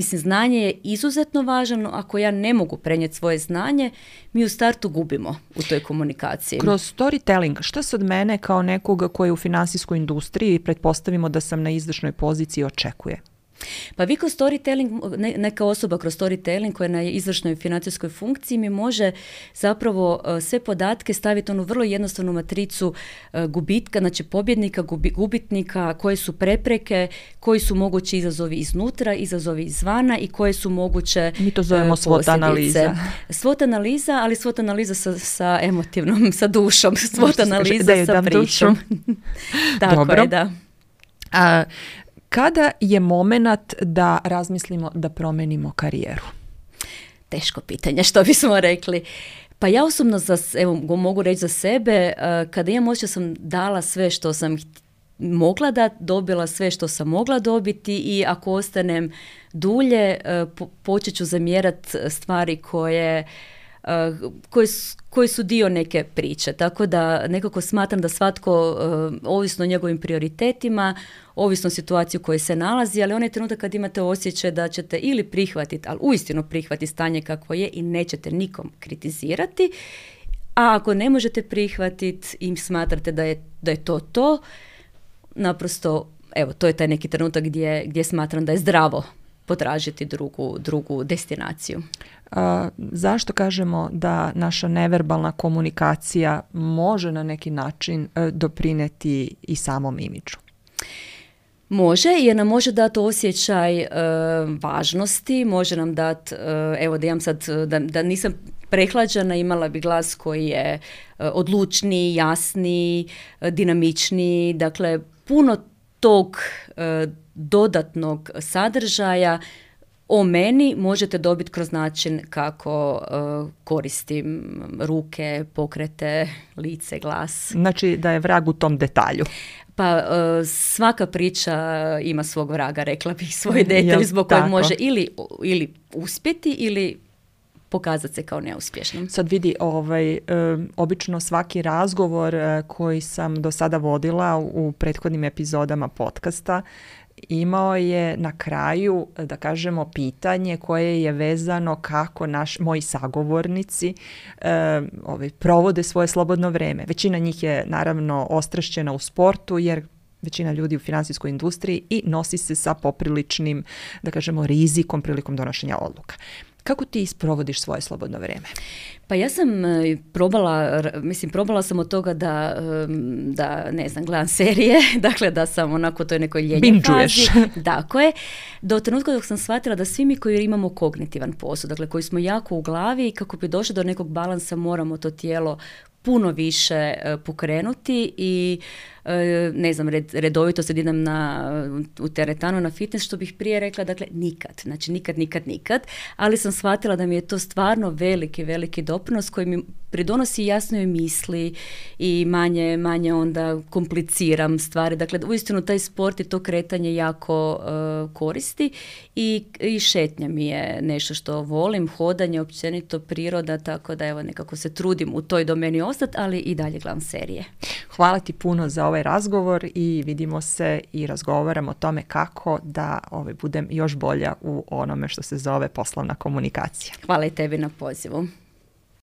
znanje je izuzetno važno. Ako ja ne mogu prenijeti svoje znanje, mi u startu gubimo u toj komunikaciji. Kroz storytelling, što se od mene kao nekoga koji je u financijskoj industriji, pretpostavimo da sam na izvršnoj poziciji, očekuje? Pa vi kroz storytelling, neka osoba kroz storytelling koja je na izvršnoj financijskoj funkciji mi može zapravo sve podatke staviti onu vrlo jednostavnu matricu gubitka, znači pobjednika, gubitnika, koje su prepreke, koji su mogući izazovi iznutra, izazovi izvana i koje su moguće mi to zovemo SWOT analiza. SWOT analiza, ali SWOT analiza sa emotivnom, sa dušom, SWOT analiza sa pričom. Tako Dobro. Je, da. Kada je moment da razmislimo da promenimo karijeru? Teško pitanje, što bismo rekli. Pa ja osobno, mogu reći za sebe, kada imam osjećaj sam dala sve što sam mogla dati, dobila sve što sam mogla dobiti i ako ostanem dulje, počet ću zamjerati stvari koji su dio neke priče. Tako da nekako smatram da svatko, ovisno o njegovim prioritetima, ovisno o situaciji u kojoj se nalazi, ali onaj trenutak kad imate osjećaj da ćete ili prihvatiti, ali uistinu prihvatiti stanje kakvo je i nećete nikom kritizirati, a ako ne možete prihvatiti i smatrate da je to, naprosto, evo, to je taj neki trenutak gdje smatram da je zdravo potražiti drugu destinaciju. Zašto kažemo da naša neverbalna komunikacija može na neki način doprineti i samom imidžu? Može, jer nam može dati osjećaj važnosti, može nam dati, evo da imam sad, da nisam prehlađena, imala bi glas koji je odlučniji, jasniji, dinamičniji, dakle puno tog dodatnog sadržaja o meni možete dobiti kroz način kako koristim ruke, pokrete, lice, glas. Znači da je vrag u tom detalju. Pa svaka priča ima svog vraga, rekla bih, svoj detalj zbog kojeg može ili uspjeti ili pokazati se kao neuspješnom. Sad vidi, obično svaki razgovor koji sam do sada vodila u prethodnim epizodama podcasta imao je na kraju, da kažemo, pitanje koje je vezano kako moji sagovornici provode svoje slobodno vreme. Većina njih je naravno ostrašćena u sportu, jer većina ljudi u financijskoj industriji i nosi se sa popriličnim, da kažemo, rizikom prilikom donošenja odluka. Kako ti isprovodiš svoje slobodno vrijeme? Pa ja sam probala sam od toga da ne znam, gledam serije, dakle da sam onako toj nekoj ljenje fazi. Tako je. Do trenutka dok sam shvatila da svi mi koji imamo kognitivan posao, dakle koji smo jako u glavi i kako bi došli do nekog balansa moramo to tijelo puno više pokrenuti i ne znam, redovito sad idem u teretanu na fitness, što bih prije rekla, dakle nikad, ali sam shvatila da mi je to stvarno veliki doprinos koji mi pridonosi jasnoj misli i manje onda kompliciram stvari. Dakle, uistinu taj sport i to kretanje jako koristi i šetnja mi je nešto što volim, hodanje, općenito priroda, tako da evo nekako se trudim u toj domeni ostati, ali i dalje gledam serije. Hvala ti puno za ovaj razgovor i vidimo se i razgovaramo o tome kako da budem još bolja u onome što se zove poslovna komunikacija. Hvala i tebi na pozivu.